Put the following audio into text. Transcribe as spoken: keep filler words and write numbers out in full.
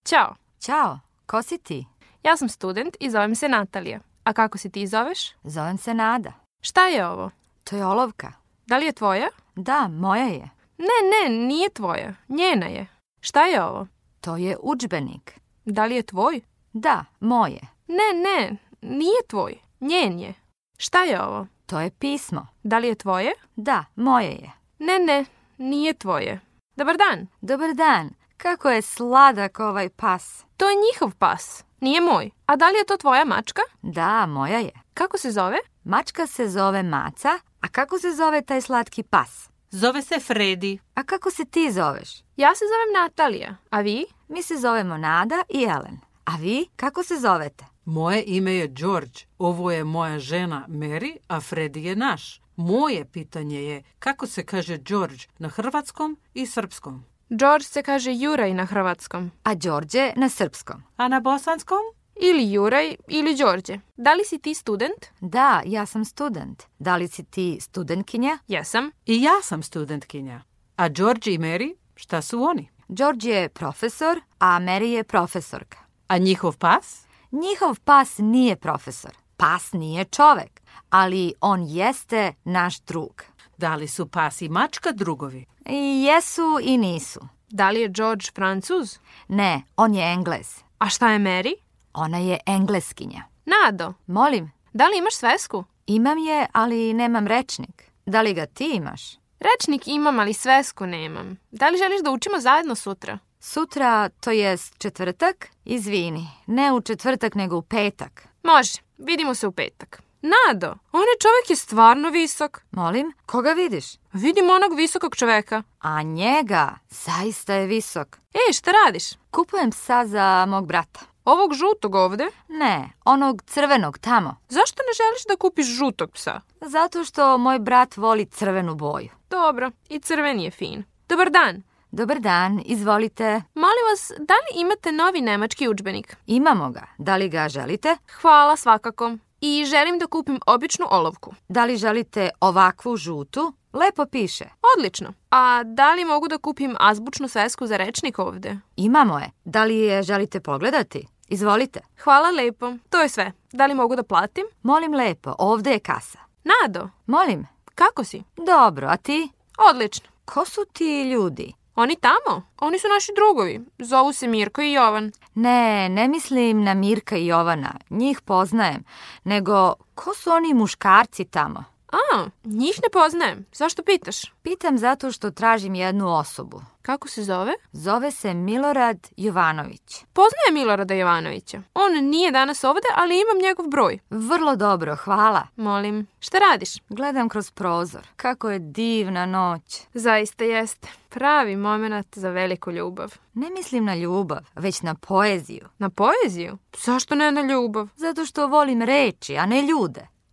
Ćao. Ćao, ko si ti? Ja sam student i zovem se Natalija. A kako se ti zoveš? Zovem se Nada. Šta je ovo? To je olovka. Da li je tvoja? Da, moja je. Ne, ne, nije tvoja. Njena je. Šta je ovo? To je udžbenik. Da li je tvoj? Da, moje. Ne, ne, nije tvoj. Njen je. Šta je ovo? To je pismo. Da li je tvoje? Da, moje je. Ne, ne, nije tvoje. Dobar dan. Dobar dan. Kako je sladak ovaj pas. To je njihov pas. Nije moj. A da li je to tvoja mačka? Da, moja je. Kako se zove? Mačka se zove Maca, a kako se zove taj slatki pas? Zove se Fredi. A kako se ti zoveš? Ja se zovem Natalija. A vi? Mi se zovemo Nada i Ellen. A vi, kako se zovete? Moje ime je George. Ovo je moja žena Mary, a Fredi je naš. Moje pitanje je kako se kaže George na hrvatskom i srpskom. George se kaže Juraj na hrvatskom. A Đorđe na srpskom. A na bosanskom? Ili Juraj ili Đorđe. Da li si ti student? Da, ja sam student. Da li si ti studentkinja? Jesam. I ja sam studentkinja. A George i Mary, šta su oni? Đorđe je profesor, a Mary je profesorka. A njihov pas? Njihov pas nije profesor. Pas nije čovek, ali on jeste naš drug. Da li su pas i mačka drugovi? I jesu i nisu. Da li je George Francuz? Ne, on je Englez. A šta je Mary? Ona je Engleskinja. Nado, Molim, da li imaš svesku? imam je, ali nemam rečnik. Da li ga ti imaš? Rečnik imam, ali svesku nemam. Da li želiš da učimo zajedno sutra? Sutra, to jest četvrtak? Izvini, ne u četvrtak, nego u petak. Može, vidimo se u petak. Nado, onaj čovjek je stvarno visok. Molim, koga vidiš? Vidim onog visokog čoveka. A njega, zaista je visok. Ej, šta radiš? Kupujem psa za mog brata. Ovog žutog ovde? Ne, onog crvenog tamo. Zašto ne želiš da kupiš žutog psa? Zato što moj brat voli crvenu boju. Dobro, i crven je fin. Dobar dan. Dobar dan, izvolite. Molim vas, da li imate novi nemački udžbenik? Imamo ga. Da li ga želite? Hvala svakako. I želim da kupim običnu olovku. Da li želite ovakvu žutu? Lepo piše. Odlično. A da li mogu da kupim azbučnu svesku za rečnik ovde? Imamo je. Da li je želite pogledati? Izvolite. Hvala lepo. To je sve. Da li mogu da platim? Molim lepo, ovde je kasa. Nado, Molim. kako si? Dobro, a ti? Odlično. Ko su ti ljudi? Oni tamo? Oni su naši drugovi. Zovu se Mirko i Jovan. Ne, ne mislim na Mirka i Jovana. Njih poznajem. Nego, ko su oni muškarci tamo? A, njih ne poznajem. Zašto pitaš? Pitam zato što tražim jednu osobu. Kako se zove? Zove se Milorad Jovanović. Poznaje Milorada Jovanovića. On nije danas ovde, ali imam njegov broj. Vrlo dobro, hvala. Molim, šta radiš? Gledam kroz prozor. Kako je divna noć. Zaista jeste. Pravi moment za veliku ljubav. Ne mislim na ljubav, već na poeziju. Na poeziju? Zašto ne na ljubav? Zato što volim reči, a ne ljude.